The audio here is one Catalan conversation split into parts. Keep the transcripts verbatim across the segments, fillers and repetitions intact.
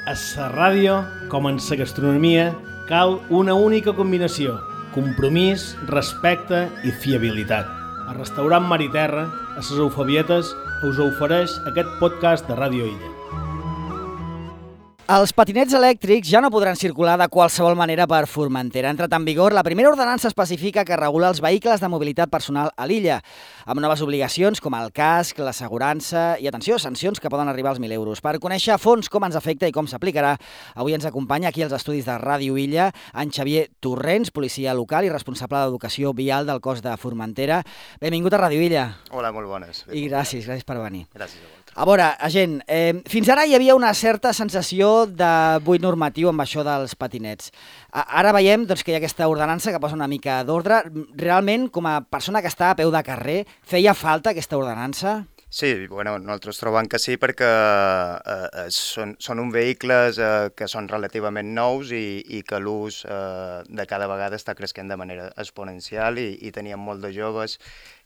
A la ràdio, com en la gastronomia, cal una única combinació: compromís, respecte i fiabilitat. El restaurant Mar i Terra, a les Eufebietes, us ofereix aquest podcast de Ràdio Illa. Els patinets elèctrics ja no podran circular de qualsevol manera per Formentera. Ha entrat en vigor la primera ordenança específica que regula els vehicles de mobilitat personal a l'illa, amb noves obligacions com el casc, l'assegurança i, atenció, sancions que poden arribar als mil euros. Per conèixer a fons com ens afecta i com s'aplicarà, avui ens acompanya aquí als estudis de Ràdio Illa en Xavier Torrents, policia local i responsable d'educació vial del cos de Formentera. Benvingut a Ràdio Illa. Hola, molt bones. I gràcies, gràcies per venir. Gràcies a vosaltres. A veure, agent, eh, fins ara hi havia una certa sensació de buit normatiu amb això dels patinets. Ara veiem doncs, que hi ha aquesta ordenança que posa una mica d'ordre. Realment, com a persona que està a peu de carrer, feia falta aquesta ordenança? Sí, bueno, nosaltres trobem que sí perquè eh, són, són uns vehicles eh, que són relativament nous i, i que l'ús eh, de cada vegada està creixent de manera exponencial i, i teníem molt de joves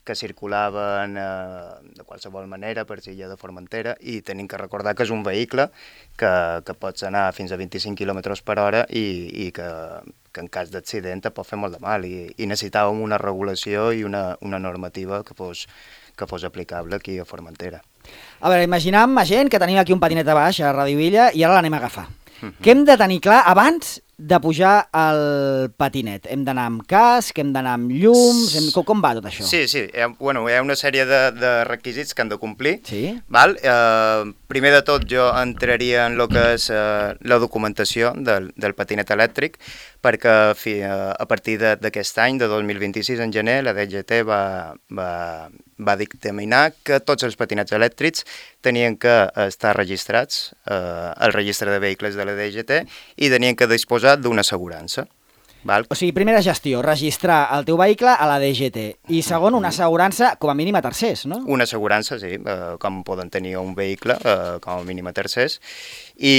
que circulaven eh, de qualsevol manera per l'illa de Formentera i tenim que recordar que és un vehicle que, que pots anar fins a vint-i-cinc quilòmetres per hora i, i que, que en cas d'accident et pot fer molt de mal i, i necessitàvem una regulació i una, una normativa que fos, que fos aplicable aquí a Formentera. A veure, imaginem, gent, que tenim aquí un patinet a baix a Ràdio Illa i ara l'anem a agafar. Uh-huh. Què hem de tenir clar abans de pujar al patinet? Hem d'anar amb casc, hem d'anar amb llums, hem... com, com va tot això? Sí, sí, hi ha, bueno, hi ha una sèrie de, de requisits que han de complir. Sí? Val? Eh, primer de tot jo entraria en el que és eh, la documentació del, del patinet elèctric, perquè fi, eh, a partir d'aquest any, de dos mil vint-i-sis, en gener, la D G T va, va, va dictaminar que tots els patinets elèctrics tenien que estar registrats eh, al registre de vehicles de la D G T i tenien que disposar d'una assegurança. Val? O sigui, primera gestió, registrar el teu vehicle a la D G T i segon, una assegurança com a mínim a tercers, no? Una assegurança, sí, eh, com poden tenir un vehicle, eh, com a mínim a tercers. I,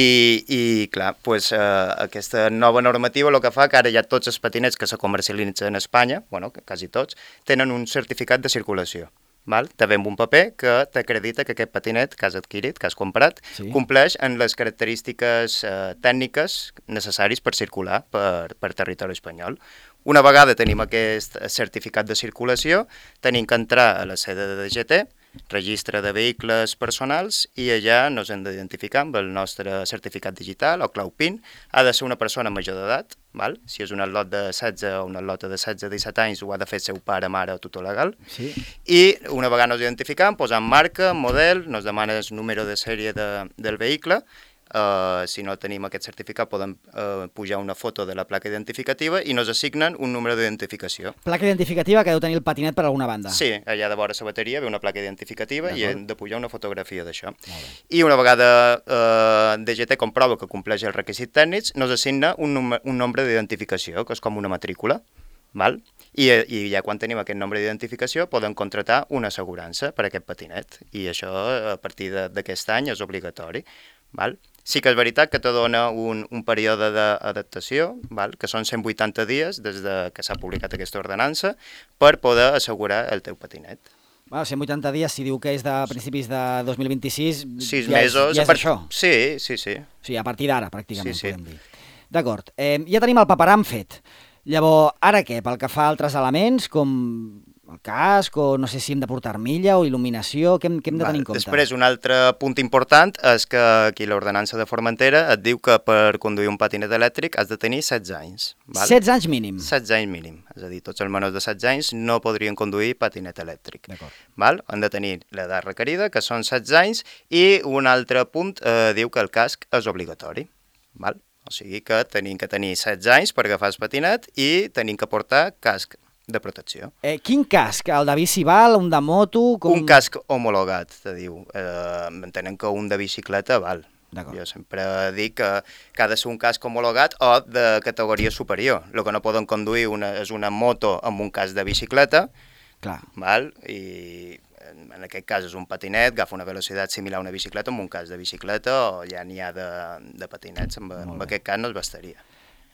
i clar, pues, eh, aquesta nova normativa el que fa que ara ja tots els patinets que se comercialitzen a Espanya, bueno, quasi tots, tenen un certificat de circulació. Val? Te ve amb un paper que t'acredita que aquest patinet que has adquirit, que has comprat, sí, compleix en les característiques eh, tècniques necessàries per circular per, per territori espanyol. Una vegada tenim aquest certificat de circulació, tenim que entrar a la sede de D G T, registre de vehicles personals, i allà ens hem d'identificar amb el nostre certificat digital o clau PIN. Ha de ser una persona major d'edat, val? Si és un atlot de setze o una atlota de setze a disset anys, ho ha de fer seu pare, mare o tutor legal. Sí. I una vegada ens identificam, posam marca, model, ens demana el número de sèrie de, del vehicle. Uh, si no tenim aquest certificat podem uh, pujar una foto de la placa identificativa i ens assignen un número d'identificació. Placa identificativa que deu tenir el patinet per alguna banda. Sí, allà de vora la bateria ve una placa identificativa i hem de pujar una fotografia d'això. I una vegada uh, D G T comprova que compleix els requisits tècnics, ens assigna un, num- un nombre d'identificació, que és com una matrícula. Val? I, I ja quan tenim aquest nombre d'identificació podem contratar una assegurança per a aquest patinet i això a partir d'aquest any és obligatori. Val? Sí que és veritat que te dona un, un període d'adaptació, val? Que són cent vuitanta dies des de que s'ha publicat aquesta ordenança per poder assegurar el teu patinet. Bueno, cent vuitanta dies, si diu que és de principis de dos mil vint-i-sis, Sis ja, mesos, és, ja és part... això. Sí, sí, sí. O sigui, a partir d'ara, pràcticament, Sí, sí. podem dir. D'acord. Eh, ja tenim el paperam fet. Llavors, ara què? Pel que fa a altres elements, com el casc, o no sé si hem de portar armilla o il·luminació, què hem, què hem de tenir en compte? Després, un altre punt important és que aquí l'ordenança de Formentera et diu que per conduir un patinet elèctric has de tenir setze anys. Val? setze anys mínim? setze anys mínim. És a dir, tots els menors de setze anys no podrien conduir patinet elèctric. D'acord. Val? Han de tenir l'edat requerida, que són setze anys, i un altre punt eh, diu que el casc és obligatori. Val? O sigui que tenim que tenir setze anys per agafar el patinet i tenim que portar casc de protecció. Eh, quin casc? El de bici val, un de moto? Com... Un casc homologat, te diu. Eh, entenem que un de bicicleta val. Jo sempre dic que, que ha de ser un casc homologat o de categoria superior. El que no poden conduir una, és una moto amb un casc de bicicleta. Clar. Val? I en aquest cas és un patinet, agafa una velocitat similar a una bicicleta amb un casc de bicicleta o ja n'hi ha de, de patinets, amb, amb aquest cas no es bastaria.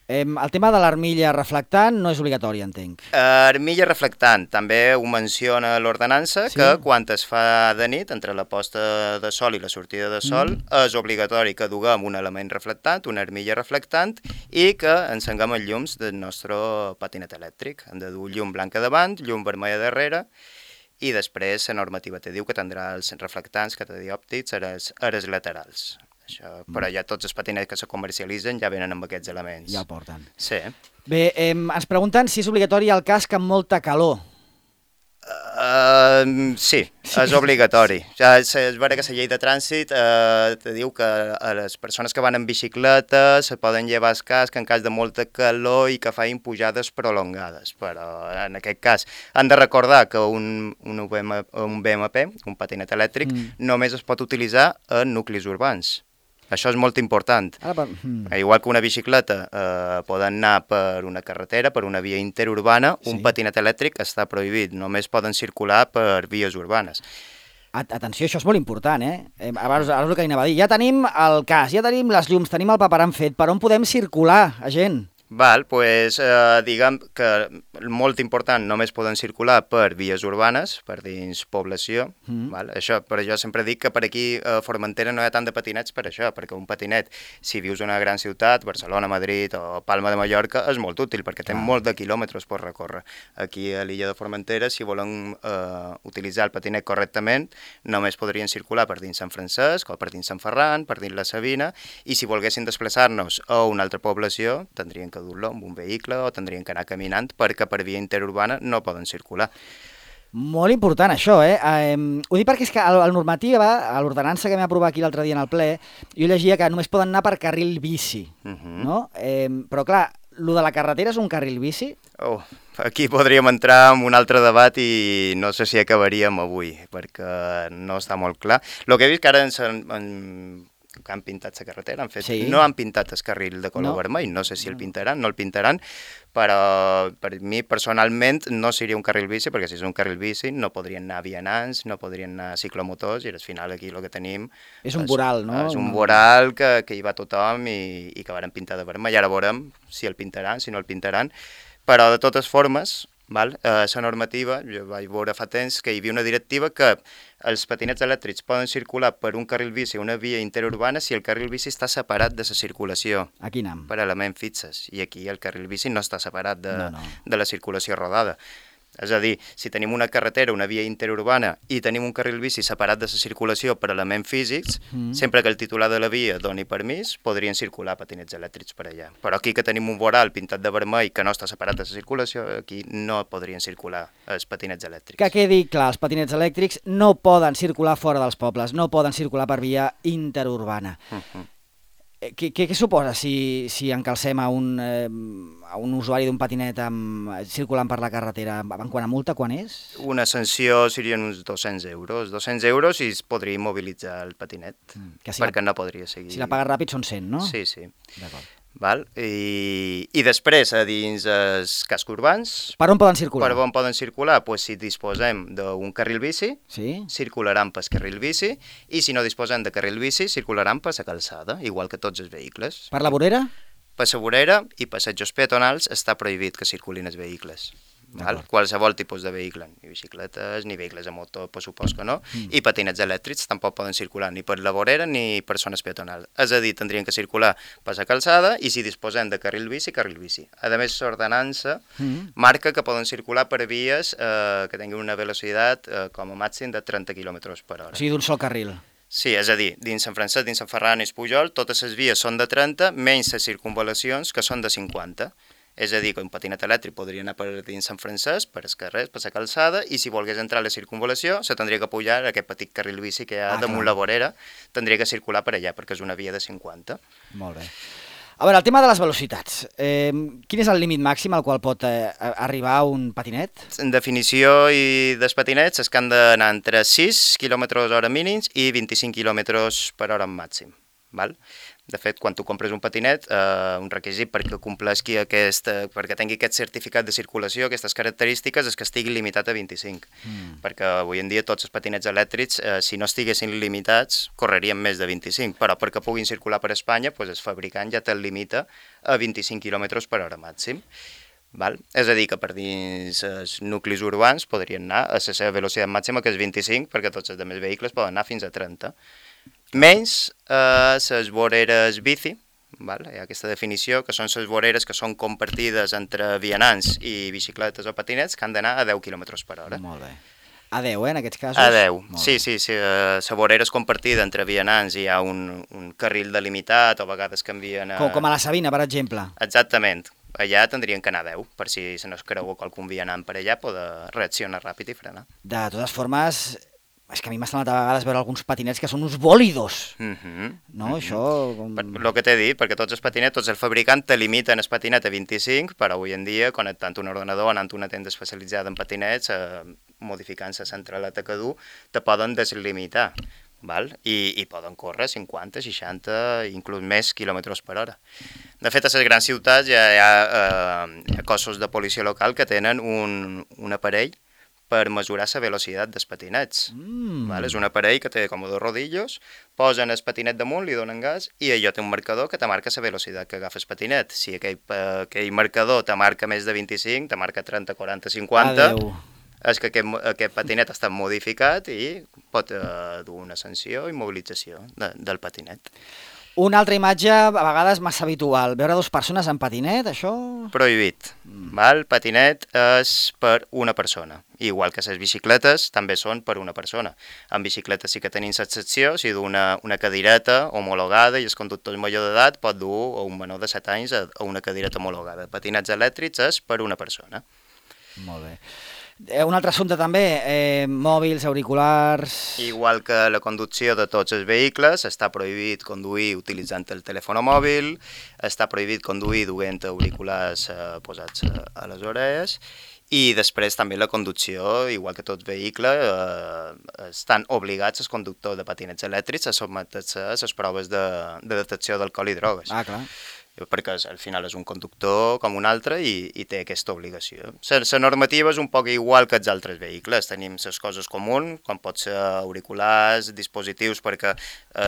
El tema de l'armilla reflectant no és obligatori, entenc. Armilla reflectant, també ho menciona l'ordenança, sí? Que quan es fa de nit, entre la posta de sol i la sortida de sol, mm. és obligatori que duguem un element reflectant, una armilla reflectant, i que encenguem els llums del nostre patinet elèctric. Hem de dur llum blanca davant, llum vermella darrere, i després la normativa te diu que tindrà els reflectants catadiòptics a les, a les laterals. Això, però ja tots els patinets que se comercialitzen ja venen amb aquests elements. Ja el porten. Sí. Bé, eh, ens pregunten si és obligatori el casc amb molta calor. Uh, sí, és obligatori. Ja és, és vera que la llei de trànsit uh, te diu que a les persones que van en bicicleta se poden llevar el casc en cas de molta calor i que facin pujades prolongades, però en aquest cas han de recordar que un, un, B M, un B M P, un patinet elèctric, mm. només es pot utilitzar en nuclis urbans. Això és molt important. Ara, hmm. Igual que una bicicleta eh, poden anar per una carretera, per una via interurbana, sí. Un patinet elèctric està prohibit, només poden circular per vies urbanes. Atenció, això és molt important, eh? Abans, ara és el que anava a dir. Ja tenim el cas, ja tenim les llums, tenim el paperam fet. Per on podem circular, gent? Val, doncs eh, diguem que molt important, només poden circular per vies urbanes, per dins població, mm. val? Això, però jo sempre dic que per aquí a Formentera no hi ha tant de patinets per això, perquè un patinet, si vius en una gran ciutat, Barcelona, Madrid o Palma de Mallorca, és molt útil, perquè té ah. molt de quilòmetres per recórrer. Aquí a l'illa de Formentera, si volen eh, utilitzar el patinet correctament, només podrien circular per dins Sant Francesc o per dins Sant Ferran, per dins la Sabina, i si volguessin desplaçar-nos a una altra població, tindrien que dur-lo amb un vehicle o tindrien que anar caminant perquè per via interurbana no poden circular. Molt important això, eh? eh ho dic perquè és que a la normativa, a l'ordenança que vam aprovar aquí l'altre dia en el ple, jo llegia que només poden anar per carril bici, uh-huh. no? Eh, però clar, lo de la carretera és un carril bici? Oh, aquí podríem entrar en un altre debat i no sé si acabaríem avui, perquè no està molt clar. El que he vist que ara ens... En, que han pintat la carretera, han fet... Sí. No han pintat el carril de color no. vermell, no sé si el pintaran, no el pintaran, però per mi personalment no seria un carril bici, perquè si és un carril bici no podrien anar vianants, no podrien anar ciclomotors, i al final aquí el que tenim... És un voral, no? És un voral que, que hi va tothom i, i que varen pintar de vermell. Ara veurem si el pintaran, si no el pintaran, però de totes formes... Val? Eh, la normativa, jo vaig veure fa temps que hi havia una directiva que els patinets elèctrics poden circular per un carril bici o una via interurbana si el carril bici està separat de la circulació. Aquí anem. Per elements fixes. I aquí el carril bici no està separat de, no, no. de la circulació rodada. És a dir, si tenim una carretera, una via interurbana i tenim un carril bici separat de la circulació per elements físics, mm. sempre que el titular de la via doni permís, podrien circular patinets elèctrics per allà. Però aquí que tenim un voral pintat de vermell que no està separat de la circulació, aquí no podrien circular els patinets elèctrics. Que quedi clar, els patinets elèctrics no poden circular fora dels pobles, no poden circular per via interurbana. Mm-hmm. Què, què, què suposa si, si encalcem a un, eh, a un usuari d'un patinet amb, circulant per la carretera? En quant a multa, quan és? Una sanció serien uns dos-cents euros. dos-cents euros i es podria immobilitzar el patinet, mm, si perquè la, no podria seguir. Si la pagues ràpid són cent, no? Sí, sí. D'acord. Val? I, I després, a dins els cascs urbans... Per on poden circular? Per on poden circular? Pues si disposem d'un carril bici, sí? circularan pel carril bici, i si no disposem de carril bici, circularan per la calçada, igual que tots els vehicles. Per la vorera? Per la vorera i passejos peatonals està prohibit que circulin els vehicles. Val? Qualsevol tipus de vehicle, ni bicicletes, ni vehicles a motor, per supòs que no, mm. i patinets elèctrics tampoc poden circular ni per la vorera ni per zones peatonals. És a dir, tindrien que circular per la calçada i si disposem de carril bici, carril bici. A més, l'ordenança mm. marca que poden circular per vies eh, que tinguin una velocitat eh, com a màxim de trenta quilòmetres per hora. O sigui, d'un sol carril. Sí, és a dir, dins Sant Francesc, dins Sant Ferran i Espujol, totes les vies són de trenta, menys les circunvalacions, que són de cinquanta. És a dir, que un patinet elèctric podria anar per dins Sant Francesc, per els carrers, per la calçada, i si volgués entrar a la circunvalació, se tindria que pujar a aquest petit carril bici que hi ha ah, damunt clar. La vorera, tindria que circular per allà, perquè és una via de cinquanta. Molt bé. A veure, el tema de les velocitats. Eh, quin és el límit màxim al qual pot eh, arribar un patinet? En definició i dels patinets és que han d'anar entre sis quilòmetres hora mínims i vint-i-cinc quilòmetres per hora màxim. val? De fet, quan tu compres un patinet, eh, un requisit perquè compleixi aquest, perquè tingui aquest certificat de circulació, aquestes característiques, és que estigui limitat a vint-i-cinc. Mm. Perquè avui en dia tots els patinets elèctrics, eh, si no estiguessin limitats, correrien més de vint-i-cinc, però perquè puguin circular per Espanya, doncs el fabricant ja te'l limita a vint-i-cinc quilòmetres per hora màxim. Val? És a dir, que per dins els nuclis urbans podrien anar a la seva velocitat màxima, que és vint-i-cinc, perquè tots els altres vehicles poden anar fins a trenta. Menys eh, les voreres bici, val? Hi ha aquesta definició, que són les voreres que són compartides entre vianants i bicicletes o patinets, que han d'anar a deu quilòmetres per hora. Molt bé. A deu, eh, en aquests casos? A deu, sí, sí, sí. La uh, vorera és compartida entre vianants i hi ha un, un carril delimitat, o a vegades canvien a... Com, com a la Sabina, per exemple. Exactament. Allà tindrien que anar a deu, per si se no es creu qualcun vianant per allà, poder reaccionar ràpid i frenar. De totes formes... És que a mi m'ha semblat a vegades veure alguns patinets que són uns bòlidos, mm -hmm. no? Mm -hmm. Això... Com... El que t'he dit, perquè tots els patinets, tots els fabricants te limiten el patinet a vint-i-cinc, però avui en dia, connectant un ordenador, anant a una tenda especialitzada en patinets, eh, modificant la centraleta que du, te poden deslimitar, val? I, i poden córrer cinquanta, seixanta, inclús més quilòmetres per hora. De fet, a les grans ciutats ja hi ha, eh, hi ha cossos de policia local que tenen un, un aparell per mesurar la velocitat dels patinets. Mm. Val? És un aparell que té com dos rodillos, posen el patinet damunt, li donen gas, i allò té un marcador que te marca la velocitat que agafa el patinet. Si aquell, aquell marcador te marca més de vint-i-cinc, te marca trenta, quaranta, cinquanta, Adeu. És que aquest, aquest patinet està modificat i pot eh, dur una sanció i mobilització de, del patinet. Una altra imatge, a vegades massa habitual, veure dues persones en patinet, això... Prohibit. Mm. Val? Patinet és per una persona. Igual que les bicicletes també són per una persona. En bicicletes sí que tenim l'excepció, si du una, una cadireta homologada i el conductor major d'edat pot dur un menor de set anys a, a una cadireta homologada. Patinets elèctrics és per una persona. Molt bé. Un altre assumpte també, eh, mòbils, auriculars... Igual que la conducció de tots els vehicles, està prohibit conduir utilitzant el telèfon mòbil, està prohibit conduir duent auriculars eh, posats a, a les orelles, i després també la conducció, igual que tot vehicle, eh, estan obligats els conductors de patinets elèctrics a sotmetre-se a les proves de, de detecció d'alcohol i drogues. Ah, clar. Perquè al final és un conductor com un altre i, i té aquesta obligació. La normativa és un poc igual que els altres vehicles. Tenim les coses comuns, com pot ser auriculars, dispositius, perquè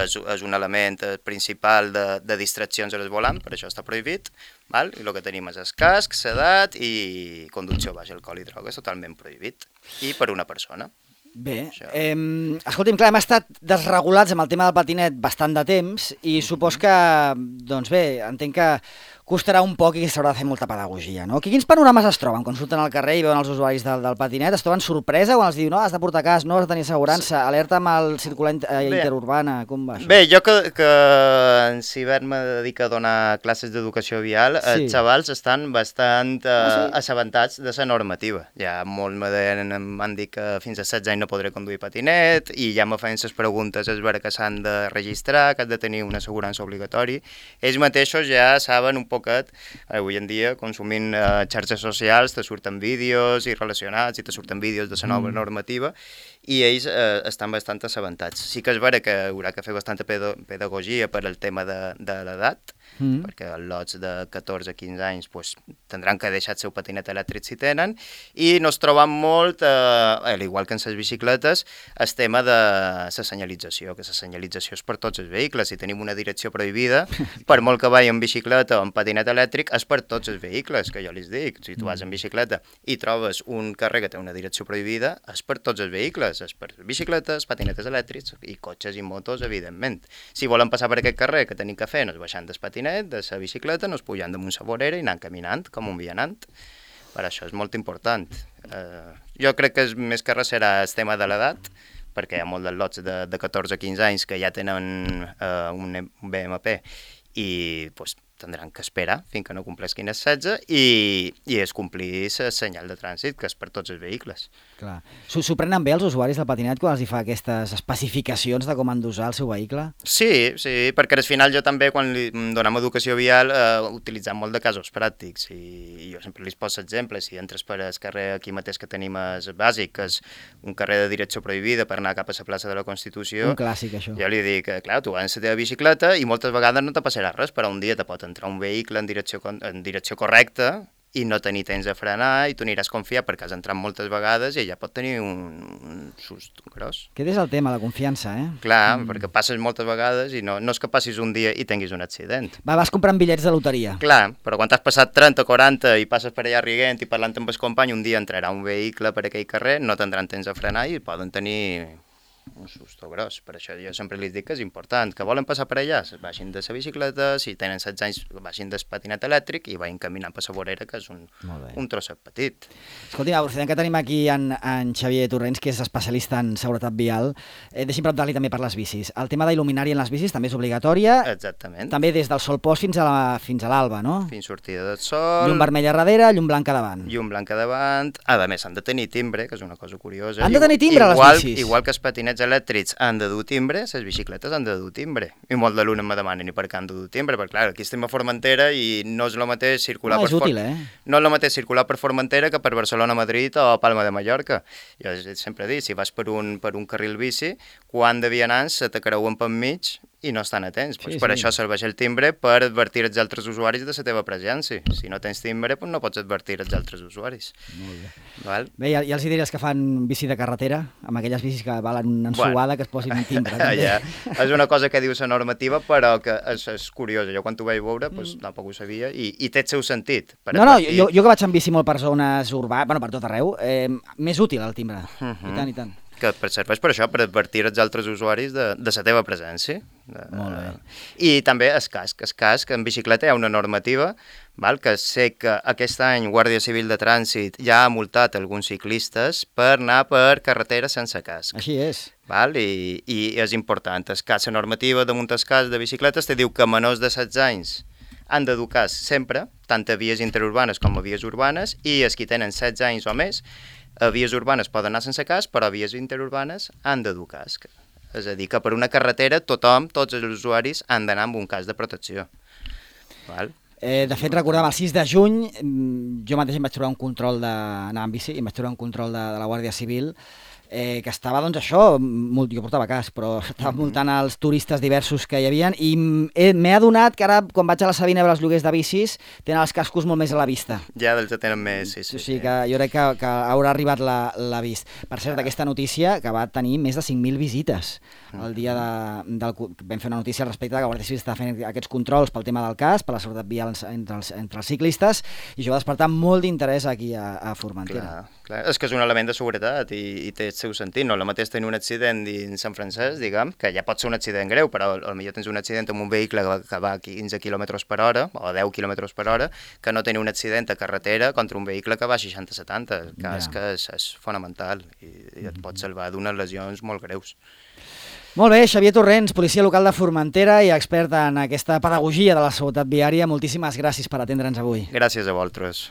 és, és un element principal de, de distraccions a les volant, per això està prohibit, val? I el que tenim és el casc, l'edat i conducció baix alcohol i drogues, totalment prohibit, i per una persona. Bé, eh, escolti'm, clar, hem estat desregulats amb el tema del patinet bastant de temps i supos que, doncs bé, entenc que costarà un poc i que s'haurà de fer molta pedagogia, no? Quins panorames es troben quan surten al carrer i veuen els usuaris del, del patinet? Es troben sorpresa quan els diu, no, has de portar cas, no has de tenir assegurança, alerta amb el circular interurbana, com va això? Bé, jo que, que en Cibert me dedica a donar classes d'educació vial, sí. Els xavals estan bastant eh, ah, sí? assabentats de la normativa. Ja molt m'han dit que fins a setze anys no podré conduir patinet i ja me feien les preguntes, és vera que s'han de registrar, que has de tenir una assegurança obligatori. Ells mateixos ja saben un poquet, avui en dia, consumint eh, xarxes socials, te surten vídeos i relacionats i te surten vídeos de la nova mm. normativa i ells eh, estan bastant assabentats. Sí que és vera que haurà que fer bastanta pedagogia per al tema de, de l'edat, mm. perquè els lots de catorze a quinze anys pues, tindran que deixar el seu patinet elèctric si tenen, i no es troben molt, eh, igual que en les bicicletes, el tema de la senyalització, que la senyalització és per tots els vehicles. Si tenim una direcció prohibida, per molt que vagi en bicicleta o en patinet elèctric, és per tots els vehicles, que jo els dic. Si tu vas en bicicleta i trobes un carrer que té una direcció prohibida, és per tots els vehicles, és per bicicletes, patinetes elèctrics i cotxes i motos, evidentment. Si volen passar per aquest carrer, que tenim que fer? No és baixant del patinet, de la bicicleta, no és pujant damunt la vorera i anant caminant, com un vianant. Per això és molt important. Eh, jo crec que és, més que res serà el tema de l'edat, perquè hi ha molts dels lots de, de catorze a quinze anys que ja tenen eh, un B M P i pues, tindran que esperar fins que no complesquin els setze i, i es complir el senyal de trànsit, que és per tots els vehicles. Clar. S'ho prenen bé els usuaris del patinet quan els hi fa aquestes especificacions de com han d'usar el seu vehicle? Sí, sí, perquè al final jo també, quan li donem educació vial, eh, utilitzem molt de casos pràctics i jo sempre li poso exemple. Si entres per el carrer aquí mateix que tenim el bàsic, que és un carrer de direcció prohibida per anar cap a la plaça de la Constitució, un clàssic, això. Jo li dic, clar, tu vas en la teva bicicleta i moltes vegades no te passarà res, però un dia te pot entrar un vehicle en direcció, en direcció correcta i no tenir temps de frenar i tu aniràs confiat perquè has entrat moltes vegades i ella pot tenir un, un sust gros. Aquest és el tema, la confiança, eh? Clar, mm. perquè passes moltes vegades i no, no és que passis un dia i tinguis un accident. Va, vas comprant bitllets de loteria. Clar, però quan t'has passat trenta o quaranta i passes per allà riguent i parlant amb el company, un dia entrarà un vehicle per aquell carrer, no tindran temps de frenar i poden tenir un susto gros. Per això jo sempre li dic que és important, que volen passar per allà, baixin de la bicicleta, si tenen setze anys, baixin del patinet elèctric i vagin caminant per la vorera, que és un, un trosset petit. Escolti, aprofitant que tenim aquí en, en Xavier Torrents, que és especialista en seguretat vial, eh, deixi'm preguntar-li també per les bicis. El tema d'il·luminari en les bicis també és obligatòria. Exactament. També des del sol post fins a la, fins a l'alba, no? Fins sortida del sol. Llum vermella a darrere, llum blanca davant. Llum blanca davant. A més, han de tenir timbre, que és una cosa curiosa. Han de tenir timbre, igual, les bicis? Igual que els patinets elèctrics han de dur timbre, les bicicletes han de dur timbre. I molt d'alumnes me demanen i per què han de dur timbre, perquè clar, aquí estem a Formentera i no és el mateix circular no, per és útil, eh? no és el mateix circular per Formentera que per Barcelona, Madrid o Palma de Mallorca. Jo sempre dic, si vas per un, per un carril bici, quan de vianants se te creuen per mig i no estan atents. Pues sí, per sí. Això serveix el timbre per advertir els altres usuaris de la teva presència. Si no tens timbre, pues no pots advertir els altres usuaris. Molt bé. Val? Bé, ja, ja els hi diries que fan bici de carretera, amb aquelles bicis que valen una ensuada, bueno, que es posin un timbre. Ja. És una cosa que diu la normativa, però que és, és curiosa. Jo quan t'ho vaig veure, pues, mm. tampoc ho sabia, i, i té el seu sentit. Per no, advertir... no, jo, jo que vaig en bici molt per zones urbanes, bueno, per tot arreu, eh, més útil el timbre, uh -huh. i tant, i tant. Que serveix per això, per advertir els altres usuaris de, de la teva presència. De, Molt bé. I també el casc. El casc, en bicicleta hi ha una normativa, val, que sé que aquest any Guàrdia Civil de Trànsit ja ha multat alguns ciclistes per anar per carretera sense casc. Així és. Val? I, i és important. El casc, la normativa damunt el casc de bicicletes te diu que menors de setze anys han de dur casc sempre, tant a vies interurbanes com a vies urbanes, i els que tenen setze anys o més, a vies urbanes poden anar sense casc, però a vies interurbanes han de dur casc. És a dir, que per una carretera tothom, tots els usuaris, han d'anar amb un casc de protecció. Val? Eh, de fet, recordem, el sis de juny, jo mateix em vaig trobar un control d'anar amb bici, em vaig trobar un control de, de la Guàrdia Civil, eh, que estava, doncs això, molt, jo portava casc, però estava multant els turistes diversos que hi havia, i m'he adonat que ara, quan vaig a la Sabina a veure els lloguers de bicis, tenen els cascos molt més a la vista. Ja, dels que tenen més, sí, sí. O sigui que jo crec que, que haurà arribat l'avís. Per cert, aquesta notícia, que va tenir més de cinc mil visites. El dia de, del, vam fer una notícia al respecte que la Guàrdia Civil està fent aquests controls pel tema del casc, per la seguretat vial entre els, entre els ciclistes, i això va despertar molt d'interès aquí a, a Formentera. Clar, clar. És que és un element de seguretat i, i té el seu sentit. No, el mateix tenir un accident dins Sant Francesc, diguem, que ja pot ser un accident greu, però potser tens un accident amb un vehicle que va, que va a quinze quilòmetres per hora o deu quilòmetres per hora, que no tenir un accident a carretera contra un vehicle que va a seixanta setanta. El casc ja. és, és fonamental i, i et pot salvar d'unes lesions molt greus. Molt bé, Xavier Torrents, policia local de Formentera i expert en aquesta pedagogia de la seguretat viària. Moltíssimes gràcies per atendre'ns avui. Gràcies a vosaltres.